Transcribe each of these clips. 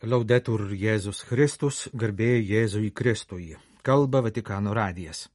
Laudetur Jėzus Kristus, garbė Jėzui Kristui. Kalba Vatikano radijas.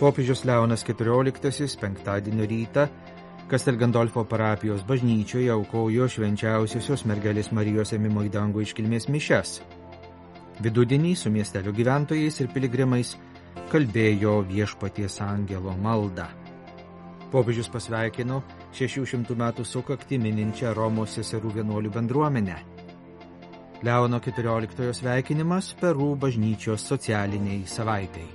Popiežius Leonas XIV penktadienio rytą Castel Gandolfo parapijos bažnyčioje aukojo švenčiausiosios mergelės Marijos ėmimo į dangų iškilmės mišias. Vidudienį su miestelio gyventojais ir piligrimais kalbėjo Viešpaties angelo maldą. Popiežius pasveikino 600 metų sukaktį mininčią Romos seserų vienuolių bendruomenę. Leono XIV sveikinimas Peru bažnyčios socialiniai savaitai.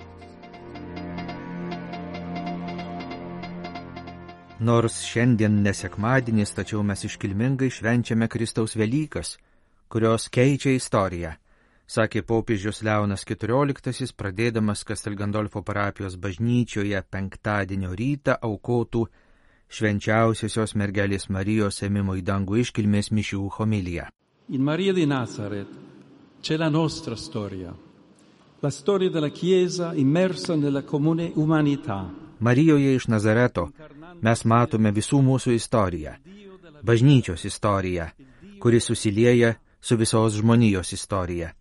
Nors šiandien nesekmadienis, tačiau mes iškilmingai švenčiame Kristaus Velykas, kurios keičia istoriją, sakė popiežius Leonas XIV, pradėdamas Castel Gandolfo parapijos bažnyčioje penktadienio rytą aukotų švenčiausiosios mergelės Marijos ėmimo į dangų iškilmės mišių homiliją. In Maria di Nazaret c'è la nostra storia, la storia della Chiesa immersa nella comune umanità. Marijoje iš Nazareto mes matome visų mūsų istoriją, bažnyčios istoriją, kuri susilieja su visos žmonijos istorija.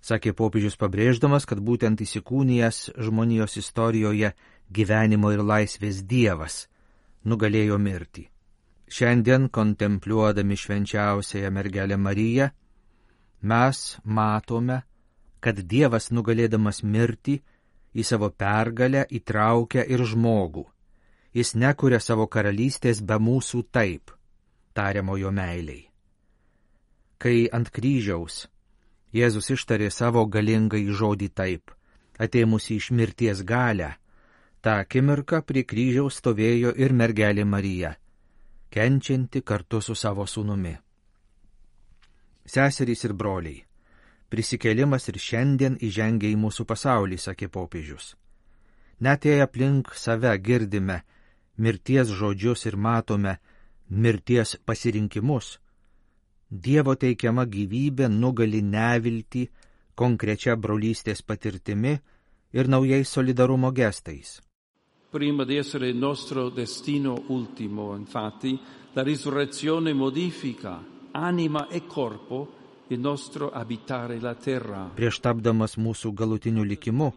Sakė popiežius pabrėždamas, kad būtent įsikūnijęs žmonijos istorijoje gyvenimo ir laisvės Dievas nugalėjo mirtį. Šiandien, kontempliuodami švenčiausiąją mergelę Mariją, mes matome, kad Dievas nugalėdamas mirtį į savo pergalę įtraukia ir žmogų. Jis nekuria savo karalystės be mūsų taip, tariamojo meiliai. Kai ant kryžiaus Jėzus ištarė savo galingai žodį taip, atėmusi iš mirties galę, tą akimirką prie kryžiaus stovėjo ir mergelė Marija, kenčianti kartu su savo sūnumi. Seserys ir broliai, prisikėlimas ir šiandien įžengia į mūsų pasaulį, sakė popiežius. Net jei aplink save girdime mirties žodžius ir matome mirties pasirinkimus, Dievo teikiama gyvybė nugali neviltį konkrečia brolystės patirtimi ir naujais solidarumo gestais. Prima di essere il nostro destino ultimo, infatti, la risurrezione modifica anima e corpo il nostro abitare la terra. Prieš tapdamas mūsų galutiniu likimu,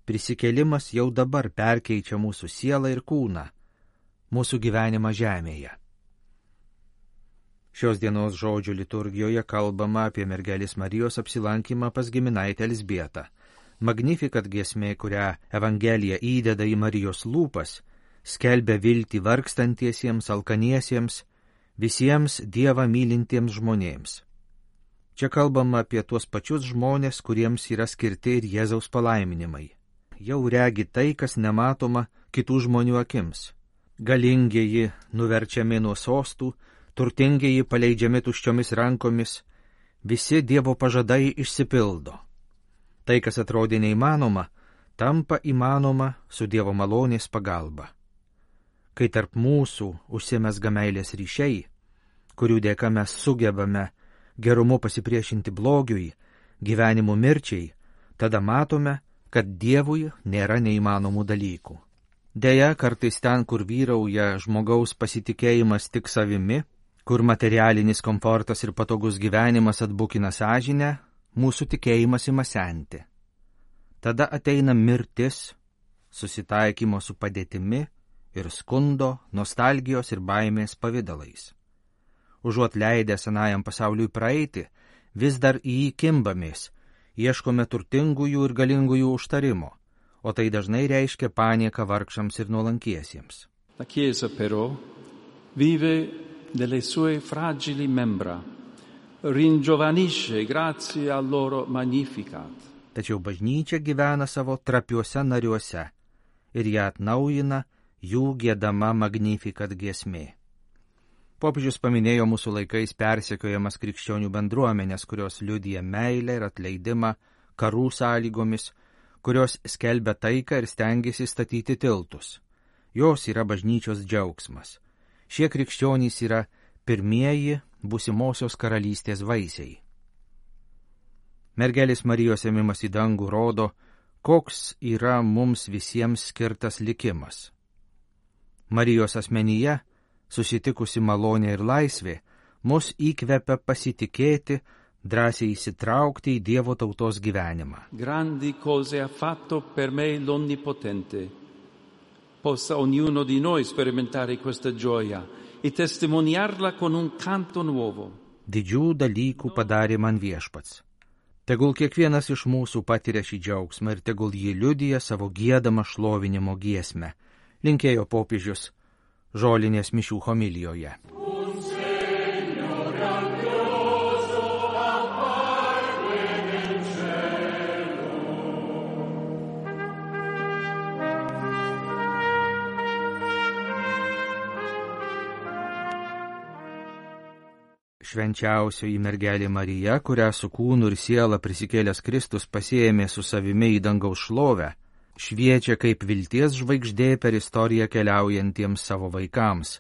prisikėlimas jau dabar perkeičia mūsų sielą ir kūną, mūsų gyvenimą žemėje. Šios dienos žodžių liturgijoje kalbama apie mergelės Marijos apsilankymą pas giminaitę Elzbietą. Magnificat giesmė, kurią Evangelija įdeda į Marijos lūpas, skelbia viltį vargstantiesiems, alkaniesiems, visiems Dievą mylintiems žmonėms. Čia kalbama apie tuos pačius žmonės, kuriems yra skirti ir Jėzaus palaiminimai. Jau regi tai, kas nematoma kitų žmonių akims. Galingieji nuverčiami nuo sostų, turtingieji paleidžiami tuščiomis rankomis, visi Dievo pažadai išsipildo. Tai, kas atrodė neįmanoma, tampa įmanoma su Dievo malonės pagalba. Kai tarp mūsų užsimezga meilės ryšiai, kurių dėka mes sugebame gerumu pasipriešinti blogiui, gyvenimu mirčiai, tada matome, kad Dievui nėra neįmanomų dalykų. Deja, kartais ten, kur vyrauja žmogaus pasitikėjimas tik savimi, kur materialinis komfortas ir patogus gyvenimas atbukina sąžinę, mūsų tikėjimas ima senti. Tada ateina mirtis, susitaikymo su padėtimi ir skundo, nostalgijos ir baimės pavidalais. Užuot leidę senajam pasauliui praeiti, vis dar į jį kimbamės, ieškome turtingųjų ir galingųjų užtarimo, o tai dažnai reiškia panieką vargšams ir nuolankiesiems. La Chiesa però vive delle sue fragili membra, ringiovanisce grazie al loro magnificat. Tačiau bažnyčia gyvena savo trapiuose nariuose ir ją atnaujina jų giedama magnificat giesmė. Popiežius paminėjo mūsų laikais persekiojamas krikščionių bendruomenės, kurios liudija meilę ir atleidimą karų sąlygomis, kurios skelbia taiką ir stengiasi statyti tiltus. Jos yra bažnyčios džiaugsmas. Šie krikščionys yra pirmieji būsimosios karalystės vaisiai. Mergelės Marijos ėmimas į dangų rodo, koks yra mums visiems skirtas likimas. Marijos asmenyje, susitikusi malonė ir laisvė, mus įkvepia pasitikėti, drąsiai įsitraukti į Dievo tautos gyvenimą. Grandi cose ha fatto per me l'Onnipotente. Possa ognuno di noi sperimentare questa gioia e testimoniarla con un canto nuovo. Didžių dalykų padarė man Viešpats. Tegul kiekvienas iš mūsų patiria šį džiaugsmą ir tegul jį liudija savo giedamą šlovinimo giesmę, linkėjo popiežius žolinės mišių homilijoje. Švenčiausioji mergelė Marija, kurią su kūnu ir siela prisikėlęs Kristus pasiėmė su savimi į dangaus šlovę, šviečia kaip vilties žvaigždė per istoriją keliaujantiems savo vaikams,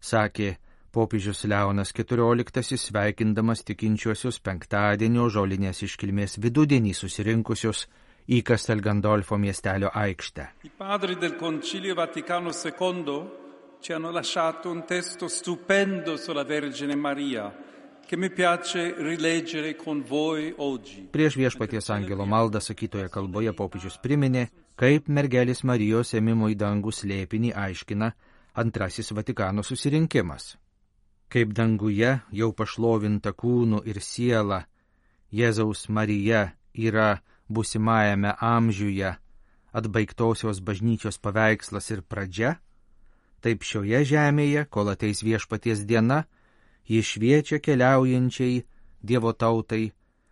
sakė popiežius Leonas XIV, sveikindamas tikinčiuosius penktadienio žolinės iškilmės vidudienį susirinkusius į Castel Gandolfo miestelio aikštę. I padri del Concilio Vaticano II ci hanno lasciato un testo stupendo sulla Vergine Maria, che mi piace rileggere con voi oggi. Prieš Viešpaties angelo maldą sakytoje kalboje popiežius priminė, kaip mergelės Marijos ėmimo į dangų slėpinį aiškina Antrasis Vatikano susirinkimas. Kaip danguje jau pašlovinta kūnu ir siela, Jėzaus Marija yra būsimajame amžiuje atbaigtosios bažnyčios paveikslas ir pradžia, taip šioje žemėje, kol ateis Viešpaties diena, ji šviečia keliaujančiai Dievo tautai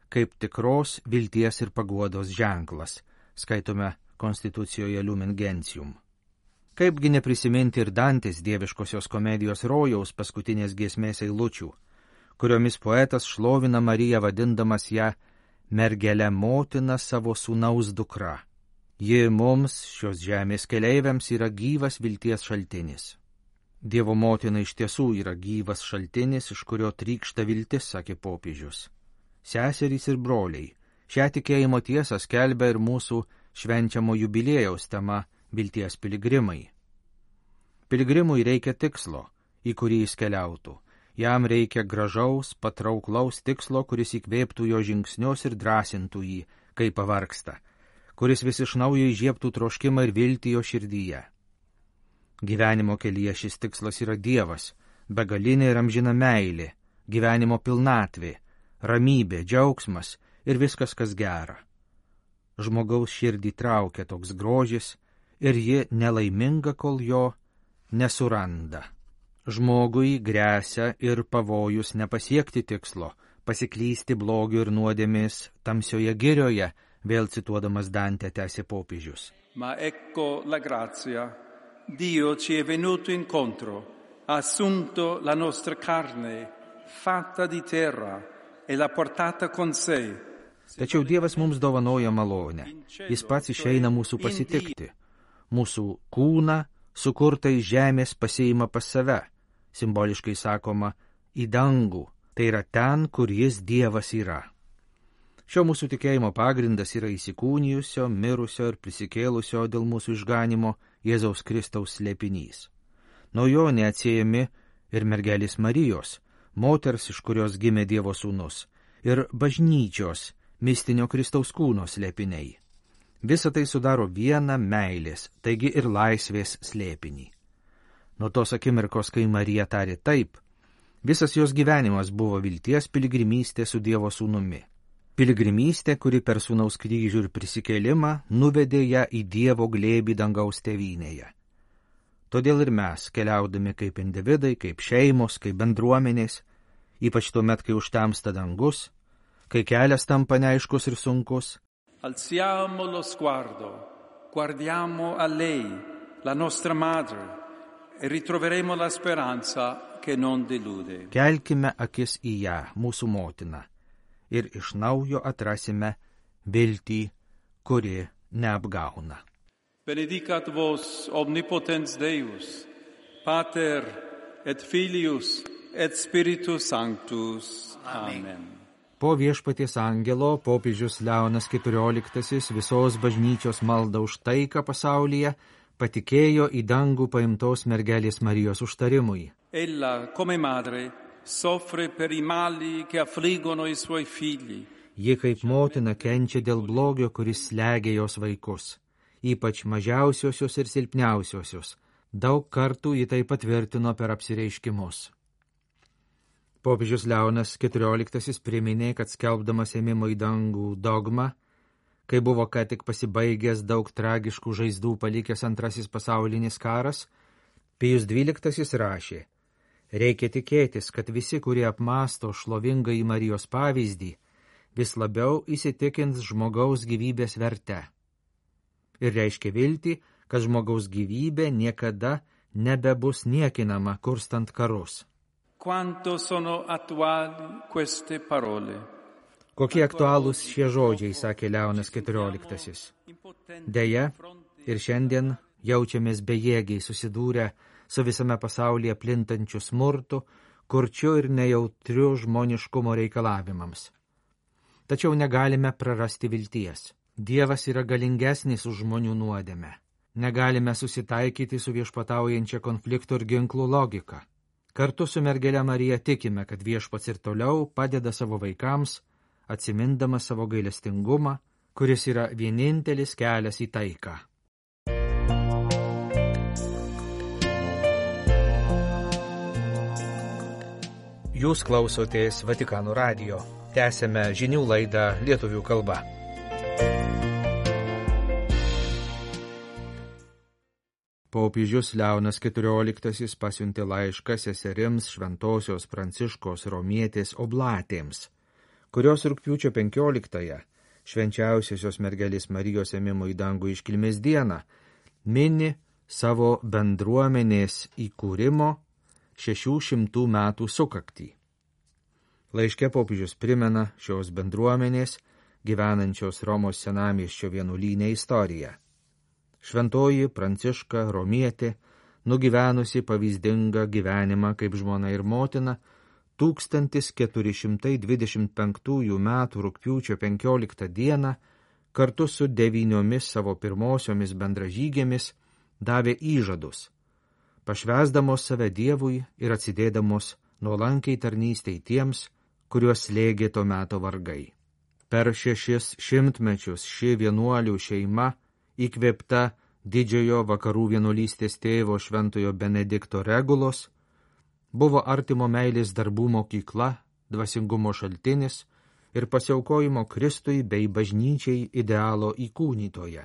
kaip tikros vilties ir paguodos ženklas, skaitome Konstitucijoje Lumen Gentium. Kaipgi neprisiminti ir Dantės dieviškosios komedijos Rojaus paskutinės giesmės eilučių, kuriomis poetas šlovina Mariją vadindamas ją mergele motina savo sūnaus dukra. Ji mums, šios žemės keleiviams, yra gyvas vilties šaltinis. Dievo motina iš tiesų yra gyvas šaltinis, iš kurio trykšta viltis, sakė popiežius. Seserys ir broliai, šią tikėjimo tiesą skelbia ir mūsų švenčiamo jubiliejaus tema vilties piligrimai. Piligrimui reikia tikslo, į kurį jis keliautų. Jam reikia gražaus, patrauklaus tikslo, kuris įkvėptų jo žingsnius ir drąsintų jį, kai pavargsta, kuris vis iš naujo įžiebtų troškimą ir viltį jo širdyje. Gyvenimo kelyje šis tikslas yra Dievas, begalinė ir amžina meilė, gyvenimo pilnatvė, ramybė, džiaugsmas ir viskas, kas gera. Žmogaus širdį traukia toks grožis ir ji nelaiminga, kol jo nesuranda. Žmogui gresia ir pavojus nepasiekti tikslo, pasiklysti blogio ir nuodėmės tamsioje girioje, vėl cituodamas Dantę tęsė popiežius. Ma ecco la grazia. Dio ci è venuto incontro, ha assunto la nostra carne, fatta di terra, e l'ha portata con sé. Tačiau Dievas mums dovanoja malonę. Jis pats išeina mūsų pasitikti. Mūsų kūną, sukurtą iš žemės, pasiima pas save, simboliškai sakoma, į dangų, tai yra ten, kur jis Dievas yra. Šio mūsų tikėjimo pagrindas yra įsikūnijusio, mirusio ir prisikėlusio dėl mūsų išganimo Jėzaus Kristaus slėpinys. Nuo jo neatsiejami ir mergelės Marijos, moters, iš kurios gimė Dievo sūnus, ir bažnyčios, mistinio Kristaus kūno slėpiniai. Visa tai sudaro vieną meilės, taigi ir laisvės slėpinį. Nuo tos akimirkos, kai Marija tarė taip, visas jos gyvenimas buvo vilties piligrimystė su Dievo sūnumi. Piligrimystė, kuri per sūnaus kryžių ir prisikėlimą nuvedė ją į Dievo glėbį dangaus tėvynėje. Todėl ir mes, keliaudami kaip individai, kaip šeimos, kaip bendruomenės, ypač tuomet, kai užtemsta dangus, kai kelias tampa neaiškus ir sunkus, alziamo lo sguardo, guardiamo a lei, la nostra madre, e ritroveremo la speranza che non delude. Kelkime akis į ją, mūsų motiną, ir iš naujo atrasime viltį, kuri neapgauna. Benedicat vos omnipotens Deus, Pater et Filius et Spiritus Sanctus. Amen. Po Viešpaties angelo popiežius Leonas XIV visos bažnyčios maldą už taiką pasaulyje patikėjo į dangų paimtos mergelės Marijos užtarimui. Ella, come madre, soffre per i mali che affliggono i suoi figli. Ji kaip motina kenčia dėl blogio, kuris slegia jos vaikus, ypač mažiausiosius ir silpniausiosius. Daug kartų ji tai patvirtino per apsireiškimus. Popiežius Leonas XIV priminė, kad skelbdamas ėmimo į dangų dogmą, kai buvo ką tik pasibaigęs daug tragiškų žaizdų palikęs Antrasis pasaulinis karas, Pijus XII rašė: reikia tikėtis, kad visi, kurie apmąsto šlovingąjį Marijos pavyzdį, vis labiau įsitikins žmogaus gyvybės verte. Ir reiškia viltį, kad žmogaus gyvybė niekada nebebus niekinama kurstant karus. Quanto sono attuali queste parole. Kokie aktualūs šie žodžiai, sakė Leonas XIV. Deja, ir šiandien jaučiamės bejėgiai susidūrę su visame pasaulyje plintančiu smurtu, kurčiu ir nejautriu žmoniškumo reikalavimams. Tačiau negalime prarasti vilties. Dievas yra galingesnis už žmonių nuodėmę. Negalime susitaikyti su viešpataujančia konfliktų ir ginklų logika. Kartu su mergele Marija tikime, kad viešpats ir toliau padeda savo vaikams, atsimindamas savo gailestingumą, kuris yra vienintelis kelias į taiką. Jūs klausotės Vatikano radijo. Tęsėme žinių laidą lietuvių kalba. Popiežius Leonas XIV pasiuntė laišką seserims Šventosios Pranciškos Romietės oblatėms, kurios rugpjūčio 15-ąją, švenčiausiosios mergelės Marijos ėmimo į dangų iškilmės dieną, mini savo bendruomenės įkūrimo 600 metų sukaktį. Laiške popiežius primena šios bendruomenės, gyvenančios Romos senamiesčio vienuolyne istoriją. Šventoji Pranciška Romietė, nugyvenusi pavyzdingą gyvenimą kaip žmona ir motina, 1425 metų rugpjūčio 15 dieną kartu su 9 savo pirmosiomis bendražygėmis davė įžadus, pašvęsdamos save Dievui ir atsidėdamos nuolankiai tarnystei tiems, kuriuos slėgė to meto vargai. Per 6 šimtmečius ši vienuolių šeima, įkvėpta didžiojo vakarų vienuolystės tėvo Šventojo Benedikto Regulos, buvo artimo meilės darbų mokykla, dvasingumo šaltinis ir pasiaukojimo Kristui bei bažnyčiai idealo įkūnytoje.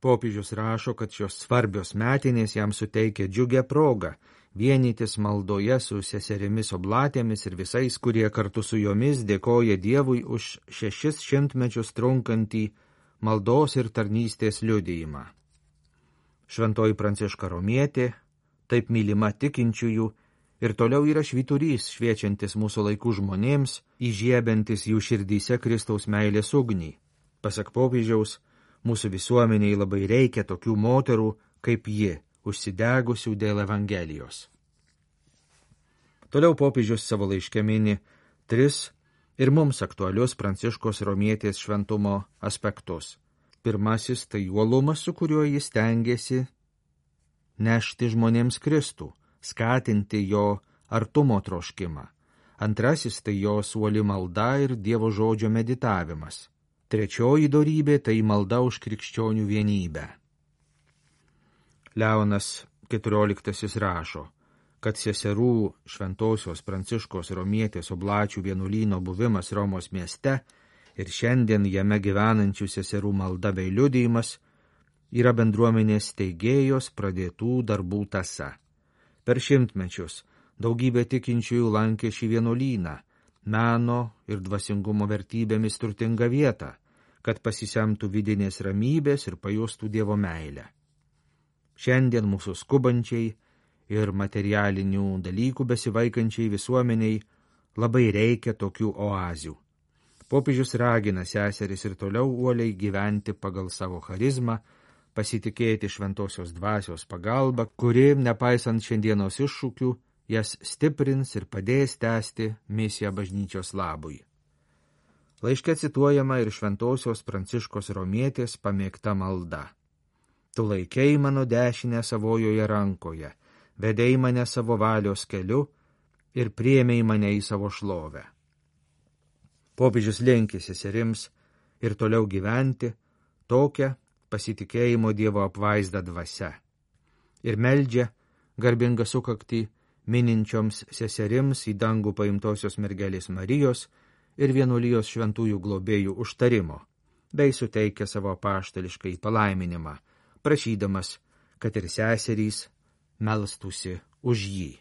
Popiežius rašo, kad šios svarbios metinės jam suteikia džiugią progą vienytis maldoje su seserimis oblatėmis ir visais, kurie kartu su jomis dėkoja Dievui už 600 mečius trunkantį maldos ir tarnystės liudijimą. Šventoji Pranciška Romietė, taip mylima tikinčiųjų, ir toliau yra švyturys šviečiantis mūsų laikų žmonėms, įžiebiantis jų širdyse Kristaus meilės ugnį. Pasak popiežiaus, mūsų visuomeniai labai reikia tokių moterų kaip ji, užsidegusių dėl Evangelijos. Toliau popiežius savo laiške mini 3 ir mums aktualius Pranciškos Romietės šventumo aspektus. Pirmasis tai uolumas, su kuriuo jis stengiasi nešti žmonėms Kristų, skatinti jo artumo troškimą. Antrasis tai jos uoli malda ir Dievo žodžio meditavimas. Trečioji dorybė tai malda už krikščionių vienybę. Leonas XIV rašo, kad seserų Šventosios Pranciškos Romietės oblačių vienuolyno buvimas Romos mieste ir šiandien jame gyvenančių seserų malda bei liudijimas yra bendruomenės steigėjos pradėtų darbų tąsa. Per šimtmečius daugybė tikinčiųjų lankė šį vienuolyną, meno ir dvasingumo vertybėmis turtingą vietą, kad pasisemtų vidinės ramybės ir pajustų Dievo meilę. Šiandien mūsų skubančiai ir materialinių dalykų besivaikančiai visuomeniai labai reikia tokių oazių. Popiežius ragina seseris ir toliau uoliai gyventi pagal savo charizmą, pasitikėti šventosios dvasios pagalba, kuri, nepaisant šiandienos iššūkių, jas stiprins ir padės tęsti misiją bažnyčios labui. Laiške cituojama ir Šventosios Pranciškos Romietės pamėgta malda. Tu laikei mano dešinę savojoje rankoje, vedei mane savo valios keliu ir priėmei mane į savo šlovę. Popiežius linki seserims ir toliau gyventi tokią pasitikėjimo Dievo apvaizdą dvasia ir meldžia garbingą sukaktį mininčioms seserims į dangų paimtosios mergelės Marijos ir vienuolijos šventųjų globėjų užtarimo, bei suteikia savo apaštališkai palaiminimą, prašydamas, kad ir seserys melstųsi už jį.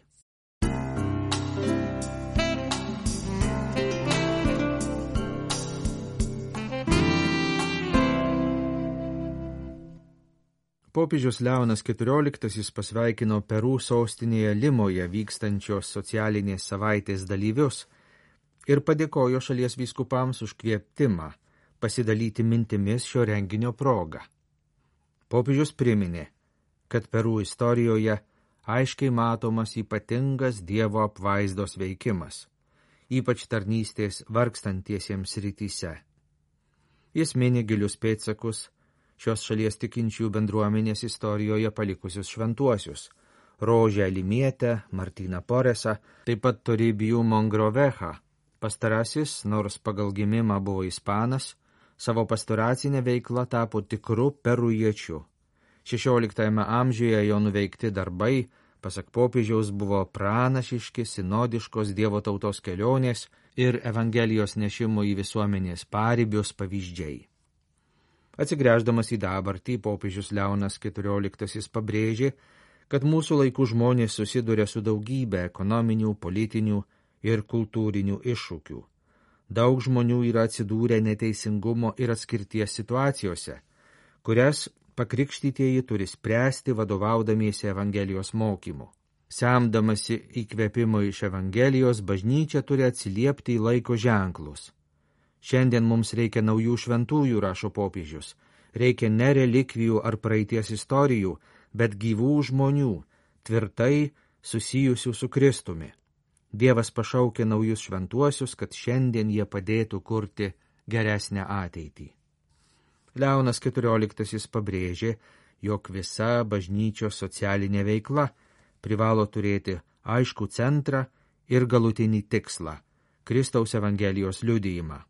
Popiežius Leonas XIV pasveikino Peru sostinėje Limoje vykstančios socialinės savaitės dalyvius ir padėkojo šalies vyskupams už kvietimą pasidalyti mintimis šio renginio proga. Popiežius priminė, kad Peru istorijoje aiškiai matomas ypatingas Dievo apvaizdos veikimas, ypač tarnystės vargstantiesiems rytise. Jis mini gilius pėdsakus šios šalies tikinčių bendruomenės istorijoje palikusius šventuosius – Rožę Limietę, Martyną Poresą, taip pat Toribijų Mongrovecha. Pastarasis, nors pagal gimimą buvo ispanas, savo pastoracinę veiklą tapo tikru perujiečiu. 16 amžiuje jo nuveikti darbai, pasak popiežiaus, buvo pranašiški sinodiškos Dievo tautos kelionės ir Evangelijos nešimo į visuomenės paribius pavyzdžiai. Atsigręždamas į dabartį, popiežius Leonas XIV pabrėžė, kad mūsų laikų žmonės susiduria su daugybė ekonominių, politinių ir kultūrinių iššūkių. Daug žmonių yra atsidūrę neteisingumo ir atskirties situacijose, kurias pakrikštytieji turi spręsti vadovaudamiesi Evangelijos mokymu. Semdamasi įkvėpimo iš Evangelijos, bažnyčia turi atsiliepti į laiko ženklus. Šiandien mums reikia naujų šventųjų, rašo popiežius. Reikia ne relikvijų ar praeities istorijų, bet gyvų žmonių, tvirtai susijusių su Kristumi. Dievas pašaukė naujus šventuosius, kad šiandien jie padėtų kurti geresnę ateitį. Leonas XIV pabrėžė, jog visa bažnyčios socialinė veikla privalo turėti aiškų centrą ir galutinį tikslą – Kristaus Evangelijos liudijimą.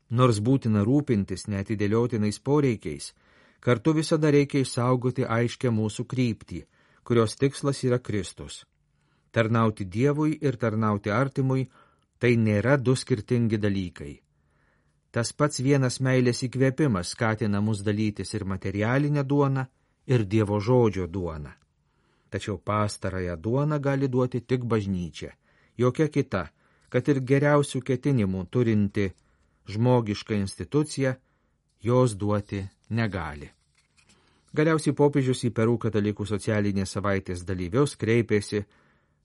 Nors būtina rūpintis neatidėliotinais poreikiais, kartu visada reikia išsaugoti aiškę mūsų kryptį, kurios tikslas yra Kristus. Tarnauti Dievui ir tarnauti artimui – tai nėra du skirtingi dalykai. Tas pats vienas meilės įkvėpimas skatina mus dalytis ir materialinę duoną, ir Dievo žodžio duoną. Tačiau pastarąją duoną gali duoti tik bažnyčia, jokia kita, kad ir geriausių ketinimų turinti žmogiška institucija, jos duoti negali. Galiausiai popiežius į Peru katalikų socialinės savaitės dalyvius kreipėsi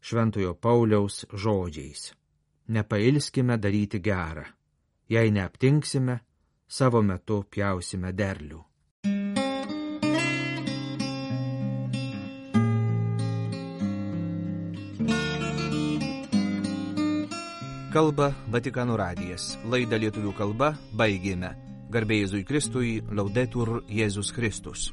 Šventojo Pauliaus žodžiais. Nepailskime daryti gerą. Jei neaptinksime, savo metu pjausime derlių. Kalba Vatikano radijas. Laidą lietuvių kalba baigėme. Garbė Jėzui Kristui, Laudetur Jėzus Kristus.